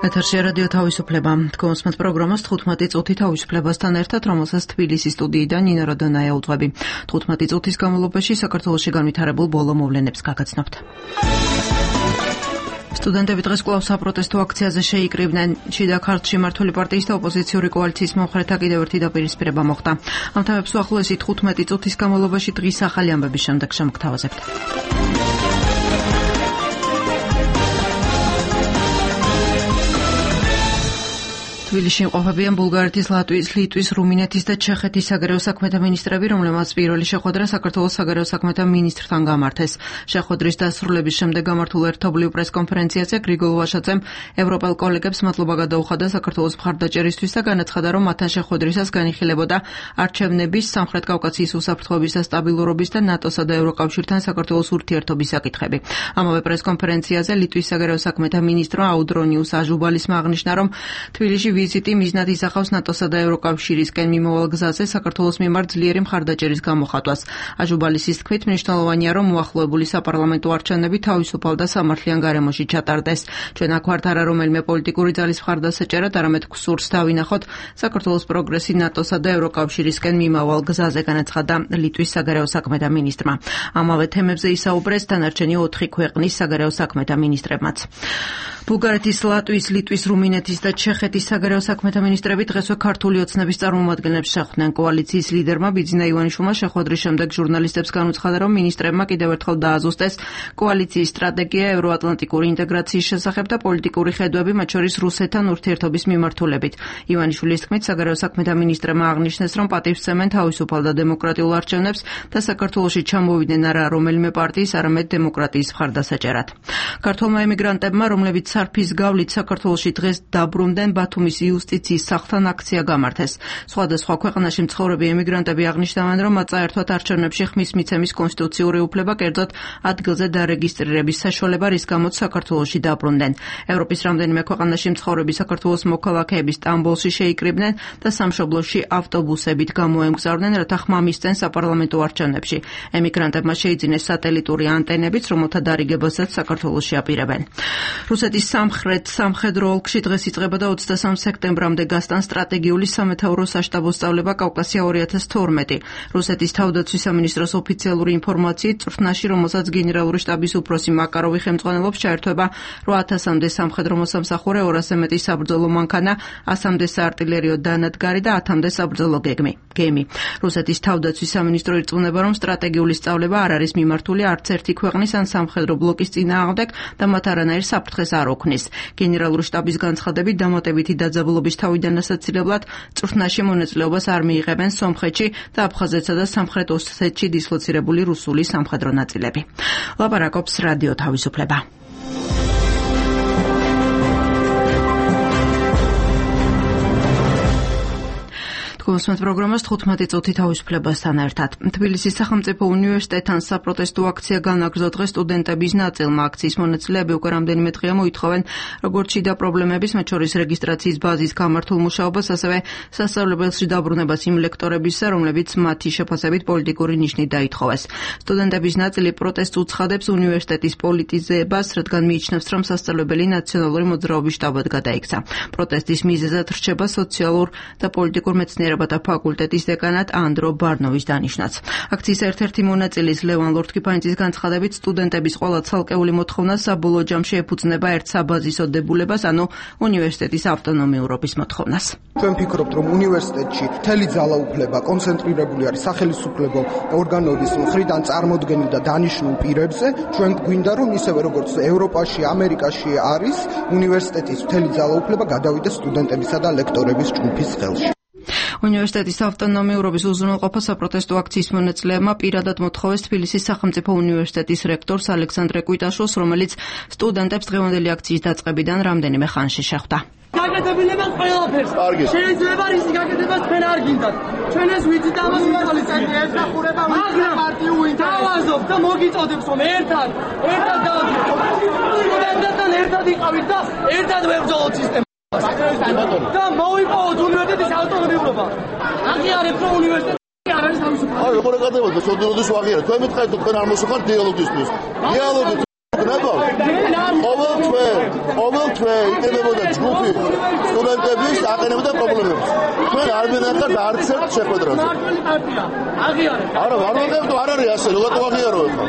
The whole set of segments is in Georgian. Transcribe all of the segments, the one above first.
ეთერში რადიო თავისუფლება. თქვენს პროგრამას 15 წუთი თავისუფლებასთან ერთად, რომელსაც თბილისის სტუდიიდან ნინო როდონაია უძღვები. 15 წუთის განმავლობაში საქართველოში განვითარებულ ბოლო მოვლენებს გაგაცნობთ. სტუდენტები დღეს კვლავ საპროტესტო აქციაზე შეიკრიბნენ. შიდა ქართლში მმართველი პარტიის და ოპოზიციური კოალიციის მომხრეთა კიდევ ერთი დაპირისპირება მოხდა. ამ თემებს უახლოესი 15 წუთის განმავლობაში დღის ახალი ამბების შემდეგ შემოგთავაზებთ. თბილისში იმყოფებიან ბულგარეთის, ლატვიის, ლიტვის, რუმინეთის და ჩეხეთის საგარეო საქმეთა მინისტრები, რომლებმაც პირველი შეხვედრა საქართველოს საგარეო საქმეთა მინისტრთან გამართეს. შეხვედრის დასრულების შემდეგ გამართულ ერთობლივ პრესკონფერენციაზე გრიგოლ ვაშაძემ ევროპელ კოლეგებს მადლობა გადაუხადა საქართველოს მხარდაჭერისთვის და განაცხადა, რომ მათთან შეხვედრისას განიხილებოდა არჩევნების, სამხრეთ კავკასიის უსაფრთხოების და სტაბილურობის და ნატოსა და ევროკავშირთან საქართველოს ურთიერთობის საკითხები. ამავე პრესკონფერენციაზე ლიტვის საგარეო საქმეთა მინისტრო აუდრონიუს აჟუბალისმა აღნიშნა, რომ თბილისში ვიზიტი მიზნად ისახავს ნატოსა და ევროკავშირისკენ მიმავალ გზაზე საქართველოს მიმართ ძლიერი მხარდაჭერის გამოხატვას. აჟუბალისის თქმით, მნიშვნელოვანია, რომ მოახლოებული საპარლამენტო არჩევნები თავისუფალ და სამართლიან გარემოში ჩატარდეს. ჩვენ აქ ვართ არა რომელიმე პოლიტიკური ძალის მხარდასაჭერად, არამედ გსურს დავინახოთ საქართველოს პროგრესი ნატოსა და ევროკავშირისკენ მიმავალ გზაზე, განაცხადა ლიტვის საგარეო საქმეთა მინისტრმა. ამავე თემებზე ისაუბრეს დანარჩენი 4 ქვეყნის საგარეო საქმეთა მინისტრებმაც. ბულგარეთის, ლატვიის, ლიტვის, რუმინეთის და ჩეხეთის საგარეო საქმეთა მინისტრები დღესვე ქართული ოცნების წარმომადგენლებს შეხვდნენ. კოალიციის ლიდერმა ბიძინა ივანიშვილმა შეხვედრის შემდეგ ჟურნალისტებს განუცხადა, რომ მინისტრებმა კიდევ ერთხელ დააზუსტეს კოალიციის სტრატეგია ევროატლანტიკური ინტეგრაციის შესახებ და პოლიტიკური ხედვები, მათ შორის რუსეთთან ურთიერთობის მიმართულებით. ივანიშვილის თქმით, საგარეო საქმეთა მინისტრებმა აღნიშნეს, რომ პატივსცემენ თავისუფალ და დემოკრატიულ არჩევნებს და საქართველოში ჩამოვიდნენ არა რომელიმე პარტიის, არამედ დემოკრატიის მხარდასაჭერად. ქართველმა ემიგრანტებმა, რომლებიც სარფის გავლით საქართველოში დღეს დაბრუნდნენ, ბათუმის იუსტიციის სახლთან აქცია გამართეს. სხვადასხვა ქვეყანაში მცხოვრები ემიგრანტები აღნიშნავენ, რომ მათ წაერთვათ არჩევნებში ხმის მიცემის კონსტიტუციური უფლება, კერძოდ ადგილზე დარეგისტრირების საშუალება, რის გამოც საქართველოში დაბრუნდნენ. ევროპის რამდენიმე ქვეყანაში მცხოვრები საქართველოს მოქალაქეები სტამბოლში შეიკრიბნენ და სამშობლოში ავტობუსებით გამოემგზავრნენ, რათა ხმა მისცენ საპარლამენტო არჩევნებში. ემიგრანტებმა შეიძინეს სატელიტური ანტენებიც, რომელთა დარიგებასაც საქართველოში აპირებენ. რუსეთის სამხრეთ სამხედრო ოლქში დღეს იწყება და 23 სექტემბრამდე გასტან სტრატეგიული სამეთაურო საშტაბო სწავლება კავკასია 2012. რუსეთის თავდაცვის სამინისტროს ოფიციალური ინფორმაციით, წვრთნაში, რომელსაც გენერალური შტაბის უფროსი მაკაროვი ხელმძღვანელობს, ჩაერთვება 8000-მდე სამხედრო მოსამსახურე, 200-ზე მეტი საბრძოლო მანქანა, 100-მდე საარტილერიო დანადგარი და 10-მდე საბრძოლო გემი. რუსეთის თავდაცვის სამინისტრო ირწმუნება, რომ სტრატეგიული სწავლება არ არის მიმართული არც ერთი ქვეყნის ან სამხედრო ბლოკის წინააღმდეგ და მათ არანაირ საფრთხეს არ ოქმნის. გენერალური შტაბის განცხადებით, დამატებითი დაძაბულობის თავიდან ასაცილებლად წვრთნაში მონაწილეობას არ მიიღებენ სომხეთში და აფხაზეთსა და სამხრეთ ოსეთში დისლოცირებული რუსული სამხედრო ნაწილები. ლაპარაკობს რადიო თავისუფლება. თქვენს პროგრამას 15 წუთი თავისუფლებასთან ერთად. თბილისის სახელმწიფო უნივერსიტეტთან საპროტესტო აქცია განაგრძო დღეს სტუდენტების ნაწილმა. აქციის მონაწილეები უკვე რამდენიმე დღეა მოითხოვენ როგორც შიდა პრობლემების, მათ შორის რეგისტრაციის ბაზის გამართულ მუშაობას, ასევე სასწავლებელში დაბრუნებას იმ ლექტორებისა, რომლებიც მათი შეფასებით პოლიტიკური ნიშნით დაითხოვეს. სტუდენტების ნაწილი პროტესტს უცხადებს უნივერსიტეტის პოლიტიზებას, რადგან მიიჩნევს, რომ სასწავლებელი ნაციონალური მოძრაობის შტაბად გადაიქცა. პროტესტის მიზეზად რჩება სოციალურ და პოლიტიკურ მეცნიერებათა ფაკულტეტის დეკანატ ანდრო ბარნოვის დანიშვნაც. აქციის ერთ-ერთი მონაწილის ლევან ლორთქიფანიძის განცხადებით, სტუდენტების ყველა ცალკეული მოთხოვნა საბოლოო ჯამში ეფუძნება ერთ საბაზისო დებულებას, ანუ უნივერსიტეტის ავტონომიურობის მოთხოვნას. ჩვენ ვფიქრობთ, რომ უნივერსიტეტში მთელი ძალაუფლება კონცენტრირებული არის სახელმწიფო ორგანოების მხრიდან წარმოდგენილ და დანიშნულ პირებზე. ჩვენ გვინდა, რომ ისევე როგორც ევროპაში, ამერიკაში არის, უნივერსიტეტის მთელი ძალაუფლება გადავიდეს სტუდენტებისა და ლექტორების ჯგუფის ხელში. უნივერსიტეტის ავტონომიურობის უზრუნველყოფა საპროტესტო აქციის მონაწილეებმა პირადად მოთხოვეს თბილისის სახელმწიფო უნივერსიტეტის რექტორს ალექსანდრე კვიტაშვილს, რომელიც სტუდენტებს დღევანდელი აქციის დაწყებიდან რამდენიმე ხანში შეხვდა. გაკეთებინებას ყველაფერს. შეიძლება რისი გაკეთებას თქვენ არ გინდათ. ჩვენ ეს ვიცით ამას ინტელიგენტი ეხახურება პარტიულ ინტერესებს და მოგიწოდებს რომ ერთად სტუდენტებთან ერთად იყავით და ერთად ვებრძოლოთ სისტემას. და მოვიპოვოთ უნივერსიტეტის ავტონომიურობა. აღიარებთ რომ უნივერსიტეტი არ არის თავისუფალი. აი, როგორ ეკადრებოდი, სოდროდეს ვაღიარებ. თქვენ მითხარით, თქვენ არ მოსუხართ დიალოგისთვის. დიალოგი ყოველ თვე იყენებოდა ჯგუფი სტუდენტების აყენებდა პრობლემებს. ჩვენ არ მინახავთ არც ერთ შეხვედრაზე. არა, არ ვიღებთ, არ არის ასე, როგორ ვაღიარო ახლა.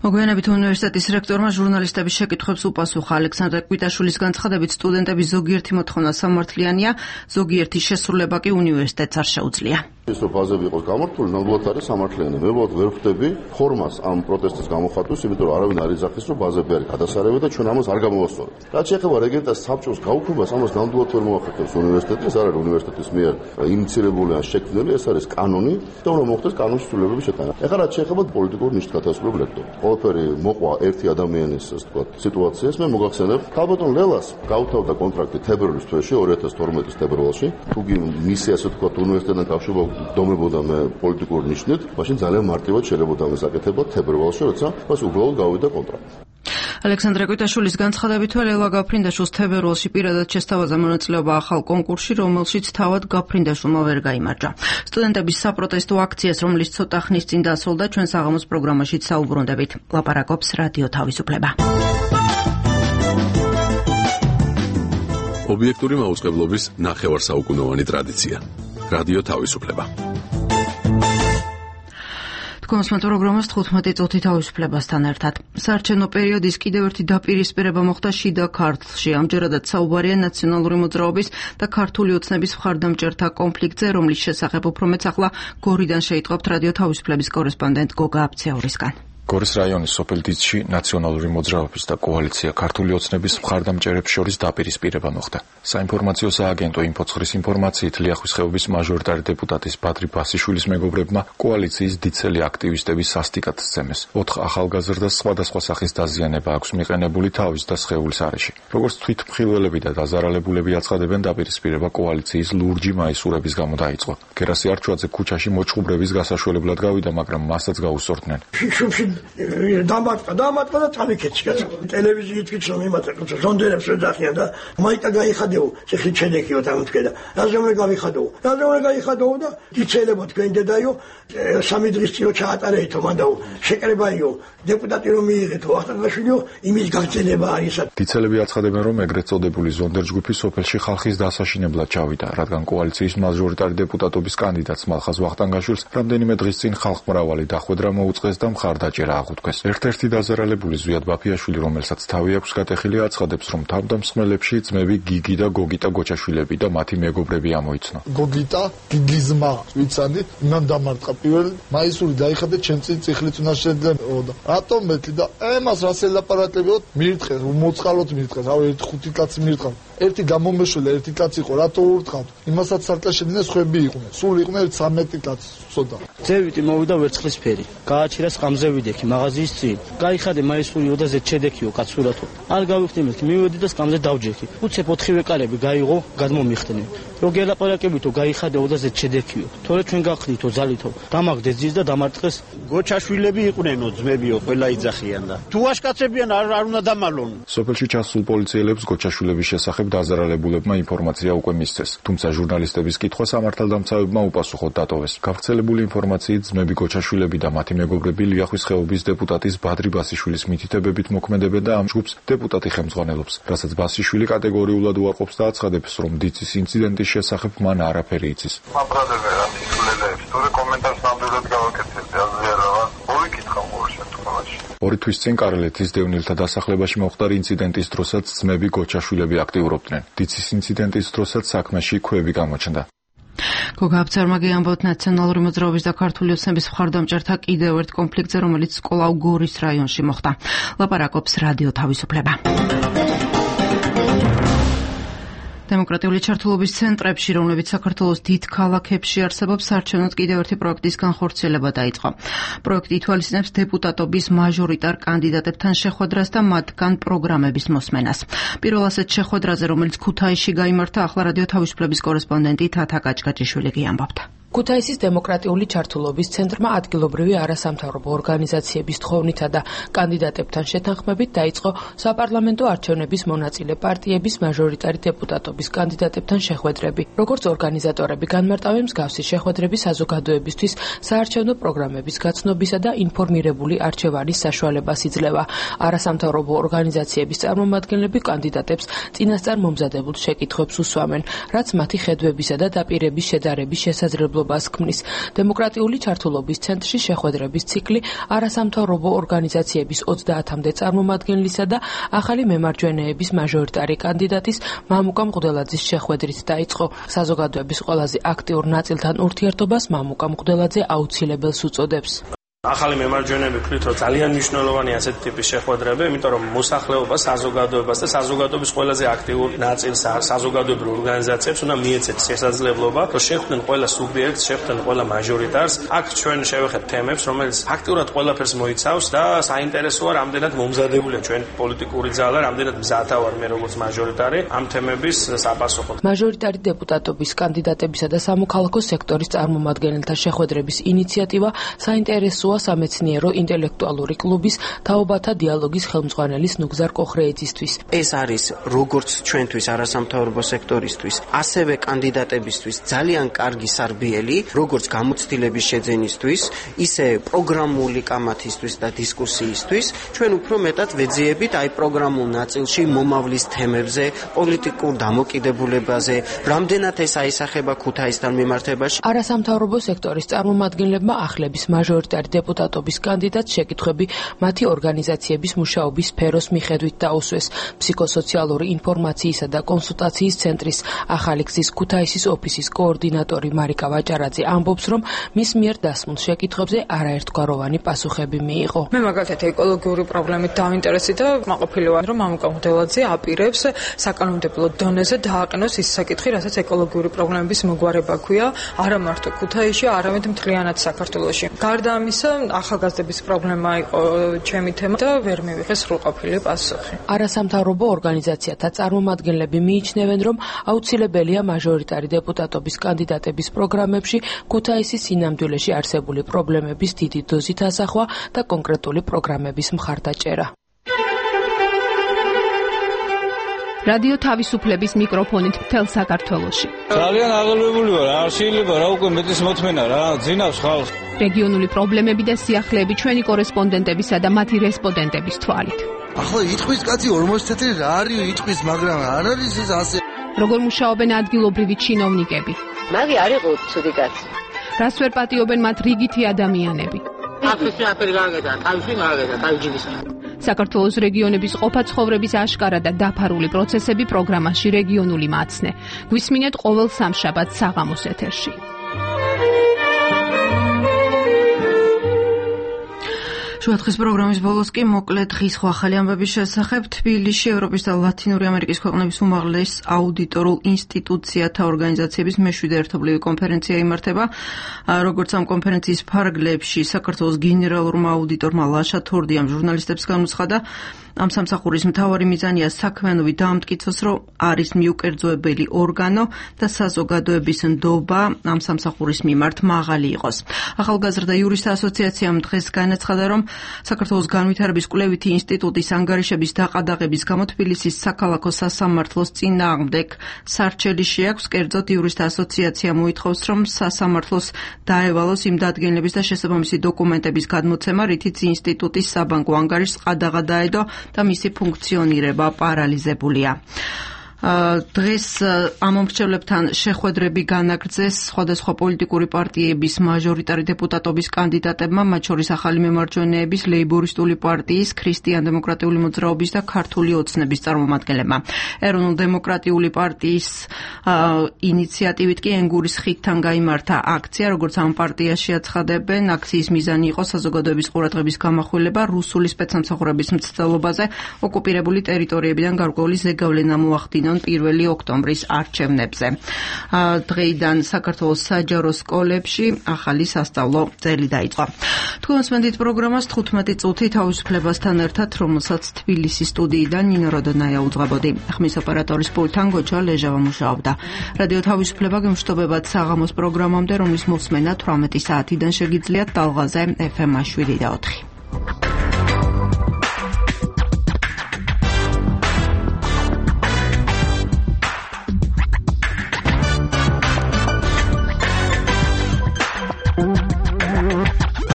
მოგვიანებით უნივერსიტეტის რექტორმა ჟურნალისტების შეკითხვებს უპასუხა. ალექსანდრე კვიტაშვილის განცხადებით სტუდენტების ზოგიერთი მოთხოვნა სამართლიანია, ზოგიერთი შესრულება კი უნივერსიტეტს არ შეუძლია. ის რომ ბაზები იყოს გამართული, ნამდვილად არის სამართლიანი. მე ვარ ვერ ხვდები ფორმას ამ პროტესტის გამოხატვის, იმიტომ რომ არავინ არ იძახის, რომ ბაზები არის გადასარევი და ჩვენ ამას არ გამოვასწორებთ. რაც შეეხება რეგენტას საბჭოს გაუქმებას, ამას ნამდვილად ვერ მოახერხებს უნივერსიტეტი, ეს არ არის უნივერსიტეტის მიერ ინიციირებული ან შექმნილი, ეს არის კანონი და უნდა მოხდეს კანონის ცვლილებების შეტანა. ეხლა რაც შეეხება პოლიტიკურ ნიშნით გათვალისწინებულ ლექტორს. ყველაფერი მოყვა ერთი ადამიანის, ასე ვთქვათ, სიტუაციას. მე მოგახსენებ, ქალბატონ ლელას გაუთავდა კონტრაქტი თებერვლის თვეში, 2012 თებერვალში, თუ მისი, ასე ვთქვათ, უნივერსიტეტთან კავშირობა დომებოდა მე პოლიტიკურ ნიშნით, მაშინ ძალიან მარტივად შეიძლება ამას აკეთებდა თებერვალში, როცა მას უბრალოდ გავიდა კონტრაქტი. ალექსანდრე კვიტაშვილის განცხადებით ლელა გაფრინდაშვილს თებერვალში პირადად შესთავაზა მონაწილეობა ახალ კონკურსში, რომელშიც თავად გაფრინდაშვილმა ვერ გაიმარჯვა. სტუდენტების საპროტესტო აქციას, რომელიც ცოტა ხნის წინ დასრულდა, ჩვენ საღამოს პროგრამაშიც საუბრობდებით. ლაპარაკობს რადიო თავისუფლება. ობიექტური მაუწყებლობის ნახევარსაუკუნოვანი ტრადიცია. რადიო თავისუფლება. კონსმეტ პროგრამას 15 წუთი თავისუფლებასთან ერთად. საარჩევნო პერიოდის კიდევ ერთი დაპირისპირება მოხდა შიდა ქართლში. ამჯერადაც საუბარია ნაციონალური მოძრაობის და ქართული ოცნების მხარდამჭერთა კონფლიქტზე, რომლის შესახებ უფრო მეც ახლა გორიდან შეიტყობთ რადიო თავისუფლების კორესპონდენტ გოგა აბცეურისგან. გორის რაიონის სოფელ დიცში ნაციონალური მოძრაობის და კოალიცია ქართული ოცნების მხარდამჭერებს შორის დაპირისპირება მოხდა. საინფორმაციო სააგენტო ინფოცხრის ინფორმაციით ლიახვის ხეობის მაჟორიტარი დეპუტატის ბადრი ბასიშვილის მეგობრებმა კოალიციის დიცელი აქტივისტების სასტიკად სცემეს. 4 ახალგაზრდას სხვადასხვა სახის დაზიანება აქვს მიყენებული თავის და სხეულის არეში. როგორც თვითმხილველები და დაზარალებულები აცხადებენ, დაპირისპირება კოალიციის ლურჯი მაისურების გამო დაიწყო. გერასი არჩვაძე ქუჩაში მოჭუბრების გასაშველებლად გავიდა, მაგრამ მასაც გაუსწორდნენ. დამატყა და წამიქეცი კაცო. ტელევიზიით ვიცნობ იმათა ზონდერებს ვეძახიან და მაიტა გაიხადეო, ციხლით შედექიო დამთქედა. რაზე უნდა გაიხადეო და იცელებო თქვენ დედაიო, 3 დღის წინ ჩაატარეითო მანდაო, შეკრებაიო, დეპუტატი რომ მიიღეთო, ახალგაზრდაშვილიო, იმის გაგრძელება არის. დიცელები აცხადებენ, რომ ეგრეთ წოდებული ზონდერ ჯგუფი სოფელში ხალხის დასაშინებლად ჩავიდა, რადგან კოალიციის მაჟორიტარი დეპუტატობის კანდიდატს მალხაზ ვახტანგაშვილს რამდენიმე დღის წინ ხალხმრავალი დახვედრა მოუწყეს და მხარდაჭერა აღუთქვეს. ერთ-ერთი დაზარალებული ზვიად ბაფიაშვილი, რომელსაც თავი აქვს გატეხილი, აცხადებს, რომ თავდამსხმელებში ძმები გიგი და გოგიტა გოჩაშვილები და მათი მეგობრები ამოიცნო. გოგიტა, გიგიზმა, ვიცადი, მან დამარტყა პირველ მაისური დაიხადა ჩემ წინ წიხლით უნდა შეძლებოდა. რატომ მეტი და ემას რას ელაპარაკებოდ მირთხეს, მოწყალოთ მირთხეს, რავი 1-5 კაცი მირთხავ. ერთი გამომეშველა, ერთი კაცი იყო, რატო ურთხავთ? იმასაც სარკაშედნენ სხვები იყვნენ. სულ იყვნენ 13 კაცი, ცოტა. ძევიტი მოვიდა ვერცხლისფერი. გააჩერა სყამზე ვიდექი მაღაზიის წინ. გაიხადე მაისური ოდაზე ჩედექიო კაცურათო. არ გავიხდი მეთქი, მივედი და სყამზე დავჯექი. უცებ 4 კალები გაიღო, გადმომიხდნენ. რო გელაპარაკებითო გაიხადე ოდაზე ჩედექიო. თორე ჩვენ გახდითო ძალითო. დამაგდე ძის და დამარტყეს. გოჩაშვილები იყვნენო, ძმებიო, ყველა იძახიან და. თუ აშკაცებიან არ უნდა დამალონ. სოფელში ჩასულ პოლიციელებს გოჩაშვილების შესახებ დაზარალებულებმა ინფორმაცია უკვე მისცეს. თუმცა ჟურნალისტების კითხვა სამართალდამცავებმა უპასუხოდ დატოვეს. გავრცელებული ინფორმაციით ძმები გოჩაშვილები და მათი მეგობრები ლიახვის ხეობის დეპუტატის ბადრი ბასიშვილის მითითებებით მოქმედებენ და ამ ჯგუფს დეპუტატი ხელმძღვანელობს, რასაც ბასიშვილი კატეგორიულად უარყოფს და აცხადებს, რომ დიცის ინციდენტის შესახებ მან არაფერი იცის. მაბრალები რა ისულელებს, თორე კომენტარს ნამდვილად გავაკეთებდი, აზრიერაა. მოვიკითხავ ყოველ შემთხვევაში. 2 თვის წინ კარელეთის დევნილთა დასახლებაში მომხდარ ინციდენტის დროსაც ძმები გოჩაშვილები აქტიურობდნენ. დიცის ინციდენტის დროსაც საქმეში ქვევი გამოჩნდა. გოგა აბცეურმა ამბობთ ნაციონალური მოძრაობის და ქართული ოცნების მხარდამჭერთა კიდევ ერთ კონფლიქტზე, რომელიც სკოლაუ გორის რაიონში მოხდა. ლაპარაკობს რადიო თავისუფლება. დემოკრატიული ჩართულობის ცენტრებში, რომლებიც საქართველოს დიდ ქალაქებში არსებობს, საარჩევნოდ კიდევ ერთი პროექტის განხორციელება დაიწყო. პროექტი ითვალისწინებს დეპუტატობის მაჟორიტარ კანდიდატებთან შეხვედრას და მათგან პროგრამების მოსმენას. პირველ ასეთ შეხვედრაზე, რომელიც ქუთაისში გაიმართა, ახლა რადიო თავისუფლების კორესპონდენტი თათა კაჭკაჭიშვილი ამბობდა. ქუთაისის დემოკრატიული ჩართულობის ცენტრმა ადგილობრივი არასამთავრობო ორგანიზაციების თხოვნითა და კანდიდატებთან შეთანხმებით დაიწყო საპარლამენტო არჩევნების მონაწილე პარტიების მაჟორიტარი დეპუტატობის კანდიდატებთან შეხვედრები. Როგორც ორგანიზატორები განმარტავენ, მსგავსი შეხვედრები საზოგადოებისთვის საარჩევნო პროგრამების გაცნობისა და ინფორმირებული არჩევანის საშუალებას იძლევა. არასამთავრობო ორგანიზაციების წარმომადგენლები კანდიდატებს წინასწარ მომზადებულ შეკითხვებს უსვამენ, რაც მათი ხედვებისა და დაპირების შედარების შესაძლებლობას ქმნის. დემოკრატიული ჩართულობის ცენტრში შეხვედრების ციკლი არასამთავრობო ორგანიზაციების 30-მდე წარმომადგენლისა და ახალი მემარჯვენეების მაჟორიტარი კანდიდატის მამუკა მღვდელაძის შეხვედრით დაიწყო. საზოგადოების ყველაზე აქტიურ ნაწილთან ურთიერთობას მამუკა მღვდელაძე აუცილებელს უწოდებს. ახალი მემარჯვენეები ვქნით, რომ ძალიან მნიშვნელოვანი ასეთი ტიპის შეხვედრები, იმიტომ რომ მოსახლეობას, საზოგადოებას და საზოგადოების ყველაზე აქტიურ ნაწილს, საზოგადოებრივ ორგანიზაციებს უნდა მიეცეთ შესაძლებლობა, რომ შეხვდნენ ყველა სუბიექტს, შეხვდნენ ყველა მაჟორიტარს. აქ ჩვენ შევეხეთ თემებს, რომელიც აქტიურად ყველაფერს მოიცავს და საინტერესოა, რამდენად მომზადებულია ჩვენ პოლიტიკური ძალა, რამდენად მზადა ვარ მე როგორც მაჟორიტარი ამ თემების საპასუხოდ. მაჟორიტარი დეპუტატობის კანდიდატებისა და სამოქალაქო სექტორის წარმომადგენელთა შეხვედრების ინიციატივა საინტერესოა სამეცნიერო ინტელექტუალური კლუბის თაობათა დიალოგის ხელმძღვანელის ნუგზარ კოხრეიძისთვის. ეს არის როგორც ჩვენთვის არასამთავრობო სექტორისთვის, ასევე კანდიდატებისთვის ძალიან კარგი სარბიელი, როგორც გამოცდილების შეძენისთვის, ისე პროგრამული კამათისთვის და დისკუსიისთვის. ჩვენ უფრო მეტად ვეძიებით აი პროგრამულ ნაწილში მომავლის თემებზე, პოლიტიკურ დამოკიდებულებაზე, რამდენად ეს აისახება ქუთაისთან მიმართებაში. არასამთავრობო სექტორის წარმომადგენლებმა ახლების მაჟორიტარი დეპუტატობის კანდიდატს შეკითხვები მათი ორგანიზაციების მუშაობის სფეროს მიხედვით დაუსვეს. ფსიქოსოციალური ინფორმაციისა და კონსულტაციის ცენტრის ახალი გზის ქუთაისის ოფისის კოორდინატორი მარიკა ვაჭარაძე ამბობს, რომ მის მიერ დასმულ შეკითხვებზე არაერთგვაროვანი პასუხები მიიღო. მე მაგალითად ეკოლოგიური პრობლემით დავინტერესდი და მაყოფილი ვარ, რომ მამუკა მღვდელაძე აპირებს საკანონმდებლო დონეზე დააყენოს ის საკითხი, რასაც ეკოლოგიური პრობლემების მოგვარება ქვია, არა მარტო ქუთაისში, არამედ მთლიანად საქართველოში. გარდა ამისა, ახალგაზრდების პრობლემა იყო ჩემი თემა და ვერ მივიღეს სრულყოფილი პასუხი. არასამთავრობო ორგანიზაციათა წარმომადგენლები მიიჩნევენ, რომ აუცილებელია მაჟორიტარი დეპუტატობის კანდიდატების პროგრამებში ქუთაისის სინამდვილეში არსებული პრობლემების დიდი დოზით ასახვა და კონკრეტული პროგრამების მხარდაჭერა. რადიო თავისუფლების მიკროფონით მთელ საქართველოში. ძალიან აღელვებული ვარ, არ შეიძლება რა უკვე მეტის მოთმენა რა, ძინავს ხალხს. რეგიონული პრობლემები და სიახლეები ჩვენი კორესპონდენტებისა და მათი რესპონდენტების თვალით. ახლა იტყვის კაცი 40 თეთრი რა არის იტყვის, მაგრამ არ არის ეს ასე. როგორ მუშაობენ ადგილობრივი ჩინოვნიკები? მაგი არ იყო ცუდი კაცი. რას ვერ პატიობენ მათ რიგითი ადამიანები? აფრიკაში აფერი გააგედა, თავში გააგედა, თავჯიბის. საქართველოს რეგიონების ყოფა-ცხოვრების აშკარა და დაფარული პროცესები პროგრამაში რეგიონული მაცნე. გვისმინეთ ყოველ სამშაბათს საღამოს ეთერში. შუადღის პროგრამის ბოლოს კი მოკლედ დღის ახალი ამბების შესახებ. თბილისში ევროპის და ლათინური ამერიკის ქვეყნების უმაღლეს აუდიტორულ ინსტიტუციათა ორგანიზაციების მე-7 ერთობლივი კონფერენცია იმართება. როგორც ამ კონფერენციის ფარგლებში საქართველოს გენერალურმა აუდიტორმა ლაშა თორდიამ ჟურნალისტებს განუცხადა, ამ სამსახურის მთავარი მიზანია საქმიანობი დაამტკიცოს, რომ არის მიუკერძოებელი ორგანო და საზოგადოების ნდობა ამ სამსახურის მიმართ მაღალი იყოს. ახალგაზრდა იურისტთა ასოციაციამ დღეს განაცხადა, რომ საქართველოს განვითარების კვლევითი ინსტიტუტის ანგარიშების დაყადაღების გამო თბილისის საქალაქო სასამართლოს წინააღმდეგ სარჩელი შეაქვს. კერძოდ იურისტთა ასოციაცია მოითხოვს, რომ სასამართლოს დაევალოს იმ დადგენილების და შესაბამისი დოკუმენტების გადმოცემა, რითიც ინსტიტუტის საბანკო ანგარიშს ყადაღა დაედო და მისი ფუნქციონირება პარალიზებულია. დღეს ამ მომრჩევლებთან შეხვედრები განაგრძეს სხვადასხვა პოლიტიკური პარტიების მაჟორიტარი დეპუტატობის კანდიდატებმა, მათ შორის ახალი მემარჯვენეების, ლეიბორისტული პარტიის, ქრისტიან-დემოკრატიული მოძრაობის და ქართული ოცნების წარმომადგენლებმა. ეროვნულ-დემოკრატიული პარტიის ინიციატივით კი ენგურის ხიდთან გაიმართა აქცია, როგორც ამ პარტიაში აცხადებენ. აქციის მიზანი იყო საზოგადოების ყურადღების გამახვილება რუსული სპეცსამსახურების მცდელობაზე ოკუპირებული ტერიტორიებიდან გარკვეული ზეგავლენა მოახდინონ 1 ოქტომბრის არჩევნებზე. დღეიდან საქართველოს საჯარო სკოლებში ახალი სასწავლო წელი დაიწყო. თუ გულისხმობთ პროგრამას 15 წუთი თავისუფლებასთან ერთად, რომელსაც თბილისის სტუდიიდან ნინო როდონაია უძღვებოდი. ხმის ოპერატორის პულტთან გოჩა ლეჟავა მუშაობდა. რადიო თავისუფლება გემშვიდობებად საღამოს პროგრამამდე, რომლის მოსმენა 18 საათიდან შეგიძლიათ ტალღაზე FM 7 და 4.